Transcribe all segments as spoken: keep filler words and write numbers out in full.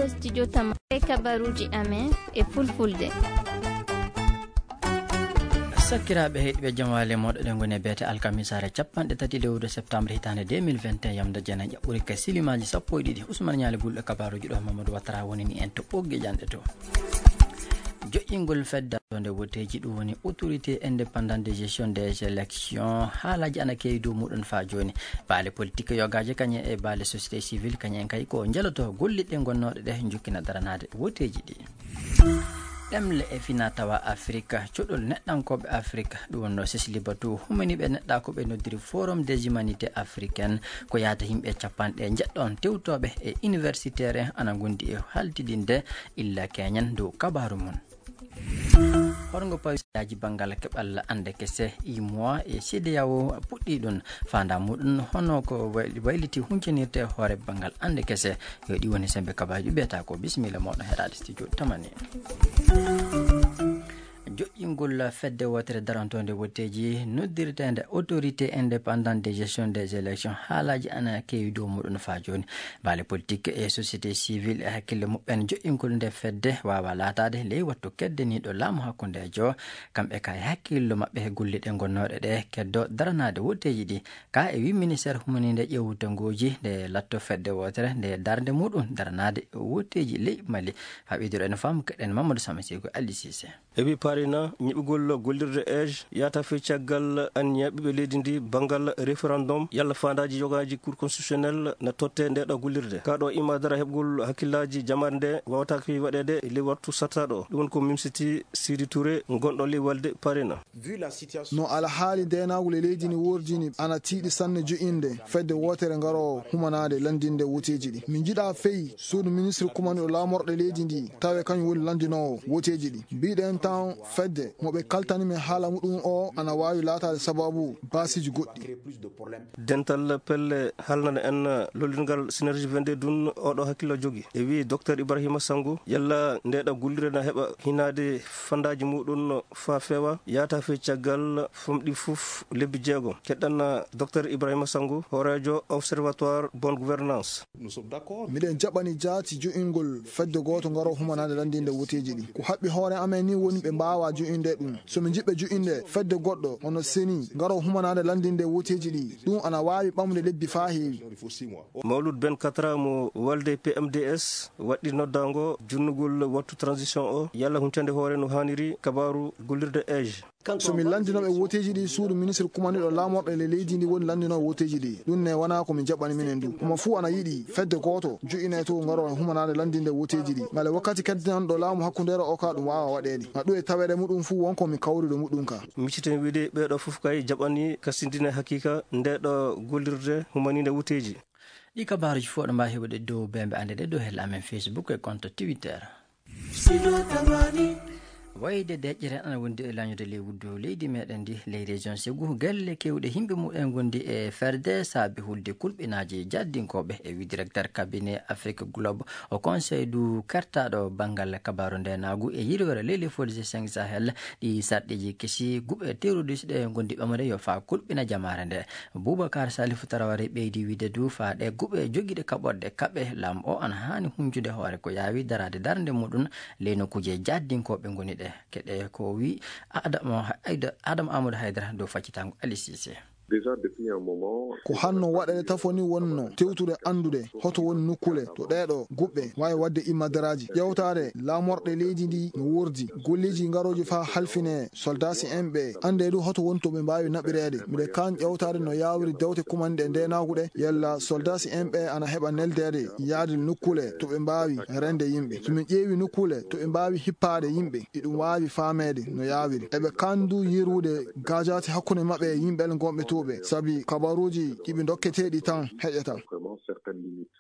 Studio Tama e kabaruuji amen e fulfulde. Sakiraaɓe heɗiiɓe, jamaale moɗo ɗen ngoni e beete alkamisaare capanɗe tati lewru septembre hitaande deux mille vingt et un, yamda jena ƴaɓɓuri ka silimaaji sappo e ɗiɗi. Usman Ñaali Gulɗo kabaruuji ɗo, Mamadou Watara woni ni en to ɓoggi janɗe to. Joƴƴingol fedda nde woteeji, ɗum woni Autorité Indépendante de Gestion des Élections. Haalaaji ana keewi dow muɗum faa jooni. Baale politique yogaaje kañe e baale société civile kañe en kay ko njeloto golliɗe gonnooɗe ɗe njukkina daranaade woteeji ɗi. Ɗemle e fina tawa Afrika, cuɗol neɗɗankooɓe Afrika, ɗum wonno Sisli Batu, humaniiɓe neɗɗaaku ɓe noddiri Forum des Humanités Africaines, ko yaata yimɓe capanɗe njeɗɗon tewtooɓe e universitaire ana ngondi e haltidinde illa keñen dow kabaaru mum. Horngo pawisaaji banngal keɓal annde kese, imoa e C D A O puɗɗi ɗum faanda muɗum, hono ko way-, wayliti huncinirte hoore banngal annde kese. Yo ɗi woni sembe kabaaji ɓeeta ko. Bisimilla moɗon heɗaade studio Tamani. Joƴƴingol fedde wootere darantoonde woteeji noddirteende Autorité Indépendante de Gestion des Élections, haalaaji ana keewi dow muɗum faa jooni. Baale politique e société civile e hakkille muɓɓen joƴƴingol nde fedde waawa laataade ley wattu keddaniiɗo laamu hakkundeejo. Kamɓe ka e hakkillo maɓɓe e golle ɗe gonnooɗe ɗe keddo daranaade woteeji ɗi. Ka e wi ministère humaniinde ƴeewtengooji nde latto fedde wootere nde darnde muɗum daranaade woteeji ley Mali. Haa ɓeydoro en faamu keɗen Mamadou Sama Seyko Ali Cissé. E wi Parina, ñiɓugol gollirde ej yaata fii caggal anniya ɓiɓɓe leydi ndi banngal référendum yalla faandaaji yogaaji Cour constitutionnelle na totte nde ɗo gollirde. Ka ɗo imma dara heɓgol hakkillaaji jamaare nde waawataake waɗeede e ley wattu sattaaɗo. Ɗum woni ko mimsiti Sidi Touré gonɗo ley walde Parina. No alhaali deenaagol e leydi ndi wordini ana tiiɗi sanne jo'inde fedde wootere ngaroowo humanaade lanndinde woteeji ɗi. Min njiɗa fey suudu ministre kumanɗo laamorɗe leydi ndi tawe kañum woni lanndinoowo woteeji ɗi. Mbiɗen tan fedde mo ɓe kaltani men haala muɗum o ana waawi laataade sababu baasiiji goɗɗi. Dental pelle haalnana en lollirgal Synergie vingt-deux ɗum oɗo hakkillo jogi. E wi Docteur Ibrahima Sango, yalla nde ɗo gollirde na heɓa hinaade fandaaji muɗum faa feewa, yaata fii caggal famɗi fof lebbi jeego. Keɗɗan Docteur Ibrahima Sango, hooreejo Observatoire Bonne Gouvernance. Miɗen jaɓani jaati jo'ingol fedde gooto ngaro humanaade lanndinde woteeji ɗi. Ko haɓɓi hoore amen ni woni ɓe mbaawa jo'inde ɗum. So min njiɗɓe jo'inde fedde goɗɗo hono seni ngaro humanaade lanndinde woteeji ɗi, ɗum ana waawi ɓamde lebbi faa heewi. Mawlud Ben Katra mo walde P M D S waɗɗi noddaango junnugol wattu transition o, yalla huncande hoore no haaniri kabaaru gollirde ej. So min lanndinooɓe woteeji ɗi, suudu ministre kumandiɗo laamorɗe le leydi ndi woni lanndinooɓe woteeji ɗi. Ɗum ne wonaa ko min jaɓɓani minen du. Homo fuu ana yiɗi fedde gooto jo'inee to ngaro humanaade lanndinde woteeji ɗi. Ngale wakkati kedditanɗo laamu hakkundeere o ka ɗum waawa waɗeede. Ŋa ɗum e taweede muɗum fuu won ko mi kawrude muɗum ka. Micciten wiide ɓeeɗo fof kay jaɓani kasindine hakiika nde ɗo gollirde humaninde woteeji. Ɗi kabaaruji fof ɗo mbaawi heɓude dow bembe annde ɗe dow hella amen Facebook e compte Twitter. Wayde deƴƴere ana wondi e lañude ley wuddu leydi meɗen ndi, ley région Ségou, gelle kewɗe yimɓe mumen gondi e ferde saabi hulde kulɓinaaji jaddinkooɓe. E wi directeur cabinet Afrique Globe au Conseil du kertaɗo banngal kabaaru ndenaagu e yirwere ley lefoolise cinq Sahel, ɗi sarɗiiji kesi guɓe terroriste ɗe gondi ɓamre yo faa kulɓina jamaare nde. Boubacar Salif Traoré ɓeydi wiide du faa ɗe guɓe jogiiɗe kaɓorɗe kaɓe laamu o ana haani huncude hoore ko yaawi daraade darnde muɗum ley nokkuuje jaddinkooɓe ngoni ɗe. Keɗe ko wi Adama Haydara, Adama Amadou Haydara dow faccitango Ali Cissé. Déjà depuis un moment, ko hanno waɗeede tafo ni wonno tewtude anndude hoto woni nokkule to ɗeeɗo guɓɓe waawi waɗde immadaraaji. Ƴeewtaade laamorɗe leydi ndi no wordi. Golleeji ngarooji faa halfine soldaasi en ɓe. Annde du hoto woni to ɓe mbaawi naɓireede. Miɗe kaan ƴeewtaade no yaawiri dewte kumanɗe ndeenaagu ɗe. Yalla soldaasi en ɓe ana heɓa neldeede yaade nokkule to ɓe mbaawi rende yimɓe. So min ƴeewi nokkule to ɓe mbaawi hippaade yimɓe, iɗum waawi faameede no yaawiri. Eɓe kaan du yirwude gaajaati hakkunde maɓɓe e yimɓe gonɓe to ɓe. Sabi kabaruuji ɗi ɓe ndokketeeɗi tan heƴata. Vraiment certaines limites.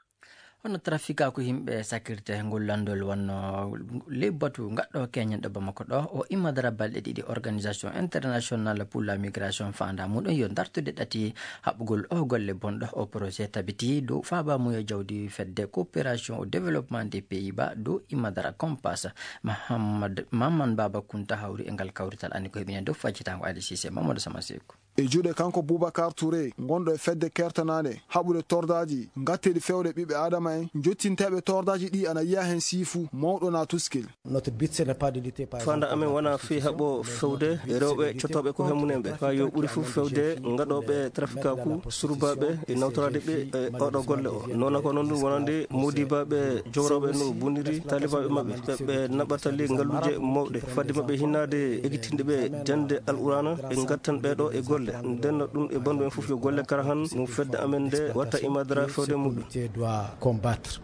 Hono trafikaaku yimɓe sakirte ngol lanndol wonno ley batu ngaɗɗo keñen ɗo Bamako ɗo, o immadara balɗe ɗiɗi Organisation Internationale pour la Migration faanda muɗum yo dartude ɗati haɓɓugol o golle bonɗo. O projet tabiti dow faaba muyo jawdi fedde coopération au développement des Pays-Bas dow immadara Compass. Mahamad, Maman Baba Kunta hawri e ngal kawrital anni ko heɓinen dow faccitango Ali Cissé Mamadou Sama Seku. E juuɗe kanko Boubacar Touré, gonɗo e fedde kertanaande haɓude tordaaji ngatteeɗi fewde ɓiɓɓe Aadama en, jottinteeɓe tordaaji ɗi ana yiya heen siifu mawɗo na tuskil. Notre but, ce n'est pas de lutter, par Fanda exemple, amen contre la wona fii prostitution, haɓo mais fewde notre but, e rewɓe c'est de lutter cottooɓe ko contre hemmunen ɓe. La Faa yo ɓuri fof fewde gaɗooɓe e trafic surbaɓe e nawtoraade ɓe e oɗo golle o. Noona ko noon ɗum wonande modibaɓe jowroɓe no boniri talibaɓe maɓɓe, ɓe, ɓe naɓatali ngalluuje mawɗe. Fadde maɓɓe hinnaade ekkitinɗe ɓe jande Alqur'aana, ɓe ngattan ɓe ɗo e golle. Nden no ɗum e bandu en fof yo golle kara han no fedde amen nde watta imadara fewde muɗum.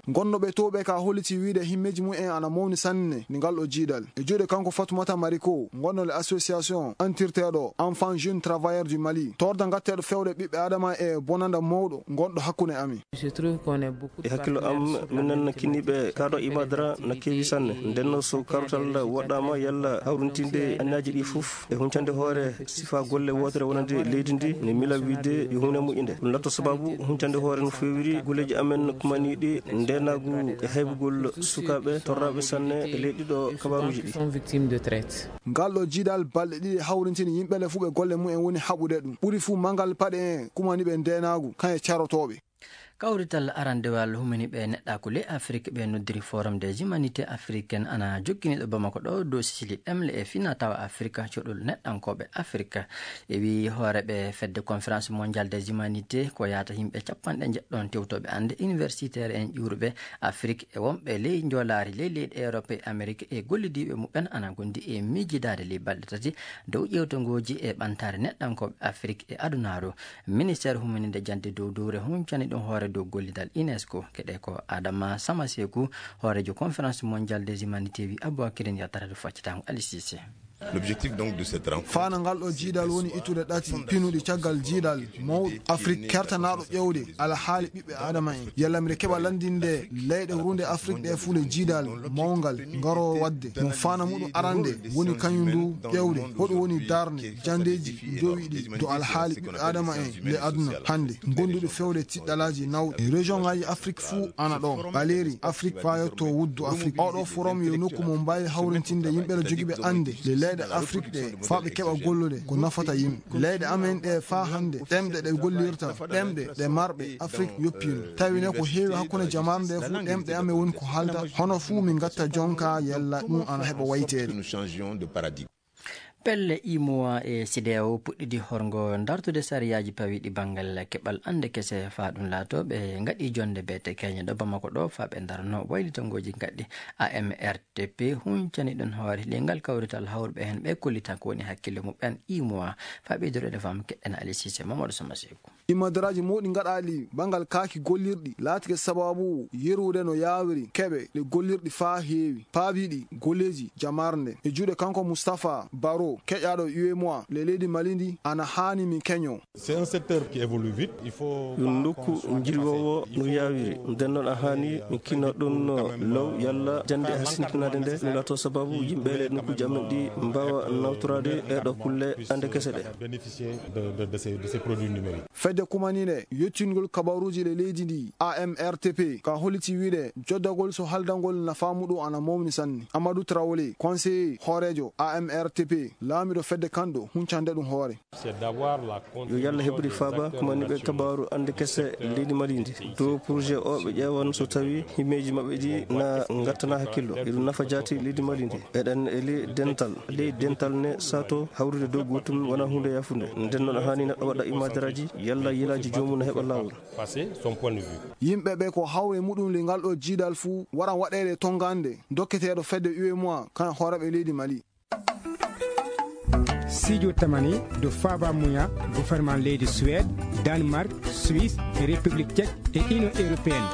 Gonnoɓe towɓe ka holliti wiide himmeeji mum en ana mawni sanne ni ngal ɗo jiidal. E juuɗe kanko Fatoumata Mariko, gonɗo le association antirteeɗo Enfants Jeunes Travailleurs du Mali, torda ngatteeɗo fewde ɓiɓɓe Adama e bonanda mawɗo gonɗo hakkunde amin. E hakkillo am, minen kinniiɓe kaɗo imadara na keewi sanne. Nden no so kartal woɗɗaama yalla hawrintinde annaaji ɗi fof e huncande hoore sifa golle wootere wonande leydi ndi, ne mila wiide yo huunde moƴƴinde. Ɗum latto sababu huncande hoore no feewiri golleeji amen kumaniiɗi ndeenaagu e haybugol sukaaɓe torraaɓe sanne e leyɗe ɗo kabaaruuji ɗi. Ngal ɗo jiidal balɗe ɗiɗi hawrintini yimɓe le fuu ɓe golle mum en woni haɓude ɗum. Ɓuri fuu mangal paɗe en kumaniiɓe ndeenaagu, kañe carotooɓe. Kawrital arandewal humaniiɓe neɗɗaaku ley Afrik ɓe noddiri Forum des Humanités Africaines ana jokkini ɗo Bamako ɗo dow sisili ɗemle e fina tawa Afrik, cuɗol neɗɗankooɓe Afrik. E wii hooreeɓe fedde Conférence Mondiale des Humanités ko yaata yimɓe capanɗe njeɗɗon tewtooɓe annde universitaire en ƴuuruɓe Afrik e wonɓe ley njoolaari ley leyɗe Europe e Amerique e gollidiiɓe muɓɓen ana gondi e miijidaade ley balɗe tati dow ƴeewtongooji e ɓantaare neɗɗankooɓe Afrik e adunaaru. Ministeer humininde jannde dow dowre huncani ɗum hoore dow gollidal UNESCO. Keɗe ko Adama Samaseku, hooreejo Conférence Mondiale des Humanités, wi Aboubacrine Yattara to faccitango Ali Cissé. L'objectif donc de cette rencontre, Faana ngal ɗo jiidal woni ittude ɗati pinuɗi caggal jiidal mawɗo Afrik kertanaaɗo ƴewde alhaali ɓiɓɓe Adama en. Yalla mbiɗa keɓa lanndinde leyɗe runde Afrik ɗe fuu le jiidal mawngal ngaroo waɗde. Mo faana muɗum arande woni kañum ndu ƴewde hoɗum woni darnde janndeeji njowiɗi dow alhaali ɓiɓɓe Adama en le aduna hannde, gonduɗo fewde tiɗɗalaaji nawɗi. Région ngaaji Afrik fuu ana ɗo, ɓaleeri Afrik faa yetto wuddu Afrik. Oɗo forum yo nokku mo mbaawi hawrintinde yimɓe ɗo jogiiɓe annde le leyɗe Afrik ɗe faa ɓe keɓa gollude ko nafata yimɓe. Leyɗe amen ɗe faa hannde, ɗemɗe ɗe gollirta, ɗemɗe ɗe marɓe Afrik yoppino. Tawi ne ko heewi hakkunde jamaanu nde fuu, ɗemɗe amen woni ko haalda. Hono fuu min ngatta jonka yalla ɗum ana heɓa wayteede. Nous changions de paradigme. Pelle imowa e sideyawo puɗɗidi horgo dartude sariyaaji pawiɗi banngal keɓal annde kese faa ɗum laato ɓe ngaɗi jonde beete keñe ɗo Bamako ɗo faa ɓe ndarno waylitangooji ngaɗɗi. A M R T P huncani ɗum hoore le ngal kawrital hawruɓe heen ɓe kollita ko woni hakkille muɓɓen imowa faa ɓeydude e fam keɗen Ali Cissé Mamadou Sama Seku. Imadaraaji mawɗi ngaɗaali banngal kaaki gollirɗi laatike sababu yerude no yaawiri keɓe ɗe gollirɗi faa heewi paabiiɗi golleeji jamarnde e juuɗe kanko Moustapha Baro keƴaaɗo U M O A le leydi Mali ndi ana haani mi keño. C'est un secteur qui évolue vite. Il faut ɗum nokku njirwoowo no yaawiri. Nden noon a haani mi kino ɗum no law yalla jannde hasintinaade nde no laato sababu yimɓe le nokkuuji amen ɗi mbaawa nawtoraade e ɗo kulle annde kese ɗe. Bénéficier de, de, de ces, de ces produits numériques. Fedde kumaniinde yottingol kabaruuji ɗe leydi ndi, A M R T P, ka holliti wiide joddagol so haldangol nafaa muɗum ana mawni sanne. Amadou Traoré, conseiller hooreejo A M R T P, laamiɗo fedde kanɗo huncande ɗum hoore. C'est d'avoir la Yo Yalla heɓude faaba kumaniiɓe kabaaru annde kese leydi Mali ndi. Dow projet o ɓe ƴeewan so tawi himmeeji maɓɓe ɗi na ngattana hakkillo. Eɗum nafa jaati leydi Mali ndi. Eɗen eli dental. Ley dental ne sato hawrude dow gootum wona huunde yafunde. Nden noon haani neɗɗo waɗa imadaraaji yalla yilaaji joomum ne heɓa laawol. Passer son point de vue. Yimɓe ɓe ko hawre muɗum le ngal ɗo jiidal fuu wara waɗeede tonngande dokketeeɗo fedde U M O A kan hooreeɓe leydi Mali. Sijo tamani do faba muya gouvernement leydi Suède, Danemark, Suisse e République Tchèque e Union Européenne.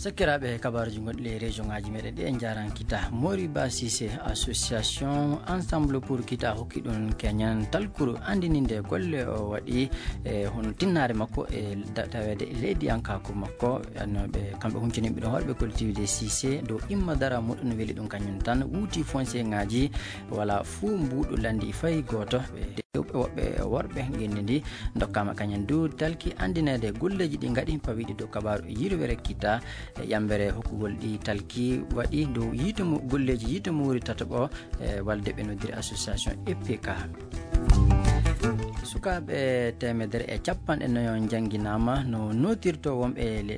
Sakkiraaɓe, kabaaruuji gonɗi e région ngaaji meɗen ɗi en njaarankita. Moriba Cissé, association Ensemble pour Kita hokki ɗum keñan talkuru anndininde golle o waɗi e hono tinnaare makko e da-, taweede e leydiyankaaku makko. Anno ɓe, kamɓe huncini yimɓe ɗon hoore ɓe collectivité Cissé dow imma dara muɗum no weli ɗum kañum tan. Wuuti foncier ngaaji wala fuu mbuuɗu lanndi fayi gooto. Ɓe rewɓe woɓɓe worɓe ngenndi ndi ndokkaama kañum du talki anndineede golleeji ɗi ngaɗi pawiɗi dow kabaaru yirwere kita e ƴambere hokkugol ɗi talki waɗi dow yiite mu-, golleeji yiite muuri tataɓo e walde ɓe noddiri association E P K. Sukkaaɓe teemedere e capanɗe nayo njannginaama no nootirto wonɓe le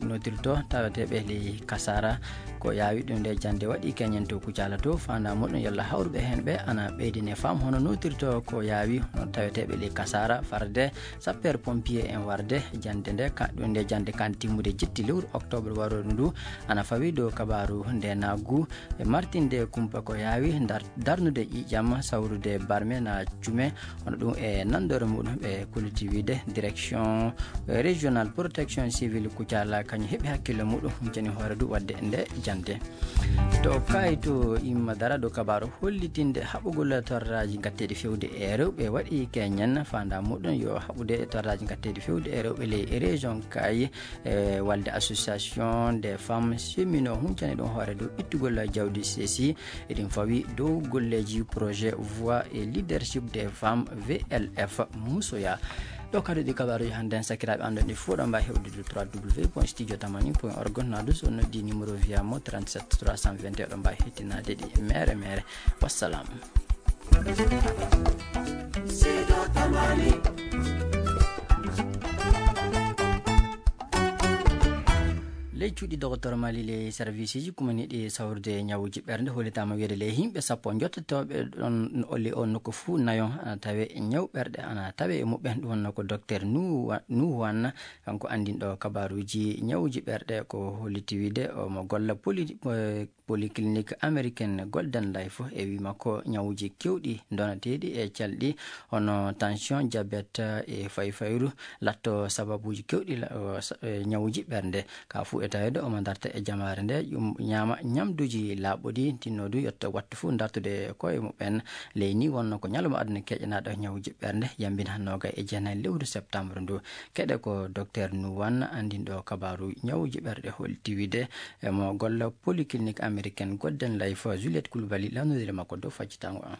nootirto taweteeɓe ley kasaara. Ko yaawi ɗum nde jannde waɗi keñen to Kucaala to faandaa muɗum yalla hawruɓe heen ɓe ana ɓeydine faam hono nootirto ko yaawi hono taweteeɓe ley kasaara farde sappeer pompier en warde jannde nde ka ɗum nde jannde kan timmude jetti lewru octobre warooru ndu. Ana fawi dow kabaaru nde naggu e martinde kumpa ko yaawi dar- darnude ƴiiƴam sawrude barme na cume. Hono ɗum e nanndore muɗum ɓe kolliti wiide direction régional protection civile Kucaala kañum heɓi hakkille muɗum huncani hoore du waɗde nde jannde. To kayto imma dara dow kabaaru hollitinde haɓugol torraaji gatteeɗi fewde e rewɓe waɗi keñen faandaa muɗum yo haɓude torraaji gatteeɗi fewde e rewɓe ley région Kaayi e walde association des femmes chemino huncani ɗum hoore dow ittugol jawdi sesi eɗin fawi dow golleeji projet voix et leadership des femmes vlf musoya. Ɗo kadi ɗi kabaaruji hannde en sakiraaɓe anndo ɗi fof ɗo mbawi hewdude trois w point studio tamani point org nadu so noddi numéro via mo trente-sept trois cent vingt et un ɗo mbawi hettinaade ɗi mere mere. Wassalam. Ley cuuɗi dogotor mali ley serviceji kumaniɗi sawrude ñawuji ɓernde hollitaama wiyde ley yimɓe sappo jottotooɓe ɗon oli o nokku fuu nayo ana tawe ñaw ɓerɗe ana tawe e muɓɓen ɗum wonno ko docteur nuwan kanko anndinɗo kabaruuji ñawuji ɓerɗe ko holliti wiyde omo golla poli polyclinique américaine golden life e wi makko ñawuji kewɗi donateeɗi e calɗi hono tension diabète e fayfayru latto sababuuji kewɗi ñawuji ɓernde ka fuu e taweede omo darta e jamaare nde ñaama ñamduuji laaɓuɗi tinno du yetto wattu fuu dartude koye muɓɓen. Ley ni wonno ko ñalawma aduna keƴanaaɗo ñawuji ɓernde yambin hannooga e jeenayi lewru septembre ndu. Keɗe ko docteur nuwan anndinɗo kabaaru ñawuji ɓerɗe holti wiyde emo golla polyclinique américaine golden life juliette kulbali lanodire makko dow faccitango an.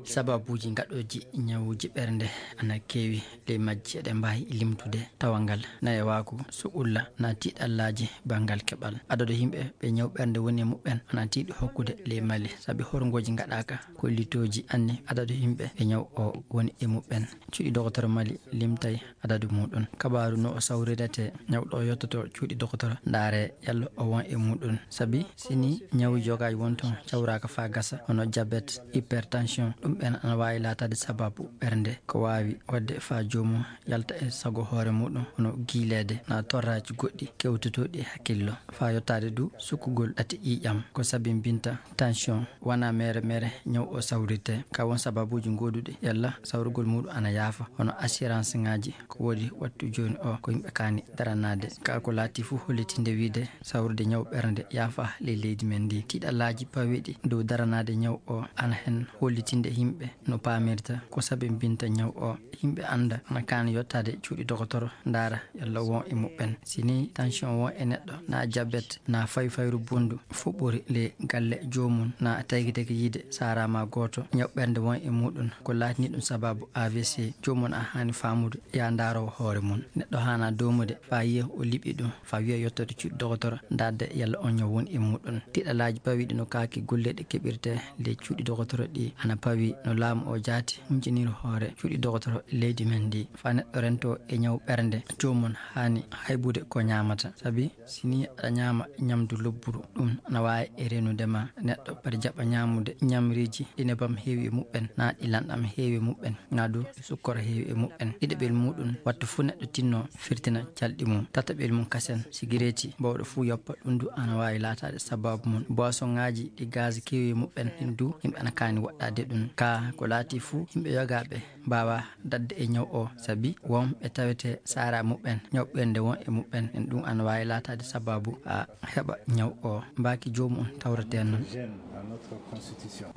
Sababuuji gaɗooji ñawuji ɓernde ana keewi ley majji eɗe mbaawi limtude tawangal nayewaaku suɓulla na tiiɗallaaji banngal keɓal adadu yimɓe ɓe ñaw ɓernde woni e muɓɓen ana tiiɗi hokkude ley mali sabi horngooji gaɗaaka kollitooji anni adadu yimɓe ɓe ñaw o woni e muɓɓen. Cuuɗi dogotor mali limtay adadu muɗum kabaaru no o sawrirete ñawɗo o yottoto cuuɗi dogotor ndaare yalla o won e muɗum sabi sini ñawu jogaji won toon cawraka fa gasa hono diabète hypertension ɗum ɓen ana wawi latade sababu ɓernde ko wawi wadde fa joomum yalta e sago hoore muɗum hono giileede na torraji goɗɗi kewtotoɗi hakkillo fa yottade du sukkugol ɗate ƴiiƴam ko sabinbinta tension wona mere mere ñaw o sawrirte ka won sababuji goduɗi yalla sawrugol muɗum ana yaafa hono assurance ngaji ko wodi wattu joni o ko yimɓe kani daranade ka ko laati fuu hollitinde wiide sawrude ñaw ɓernde yaafa ley leydi men ndi tiɗalaji pawiɗi dow daranade ñaw o ana hen hollitinde yimɓe no pamirta ko sabinbinta ñaw o yimɓe anda ana kani yottade cuuɗi dogotoro ndaara yalla won e muɓɓen sini tension won e neɗɗo na diabète na fayfayru bondu fuɓɓori ley galle joomum na taygi tagi yiide sarama gooto ñaw ɓernde won e muɗum ko laatini ɗum sababu avc joomum a hani famude ya ndarowo hoore mum neɗɗo hana domude fa yiya o liɓi ɗum fa wiya yettode cuuɗi dogotoro darde yalla on ñaw won e muɗum tiɗalaji pawiɗi no kaaki golleɗe keɓirte ley cuuɗi dogotoro ɗi ana pawi no laamu o jaati hunciniri hoore cuuɗi dogotoro leydi men ndi fa neɗɗo rento e ñaw ɓernde joomum hani haybude ko ñamata sabi sini aɗa ñama ñamdu lobburu ɗum ana wawi e renude ma neɗɗo mbaɗa jaɓa ñamude ñamriji ɗi nebam heewi e muɓɓen na ɗi lanɗam heewi e muɓɓen na du sukkoro heewi e muɓɓen ɗiɗaɓel muɗum wattu fuu neɗɗo tinno firtina calɗi mum tataɓel mum kasen sigireti bawɗo fuu yoppa ɗum du ana wawi latade sababu mum boisson ngaji ɗi gaz keewi e muɓɓen ɗin du yimɓe ana kani woɗɗade ɗum ka ko laati fuu yimɓe yogaɓe mbawa dadde e ñaw o sabi won ɓe tawete sara muɓɓen ñaw ɓernde won e muɓɓen en ɗum ana wawi latade sababu a heɓa ñaw o mbaki joomum tawrete noon.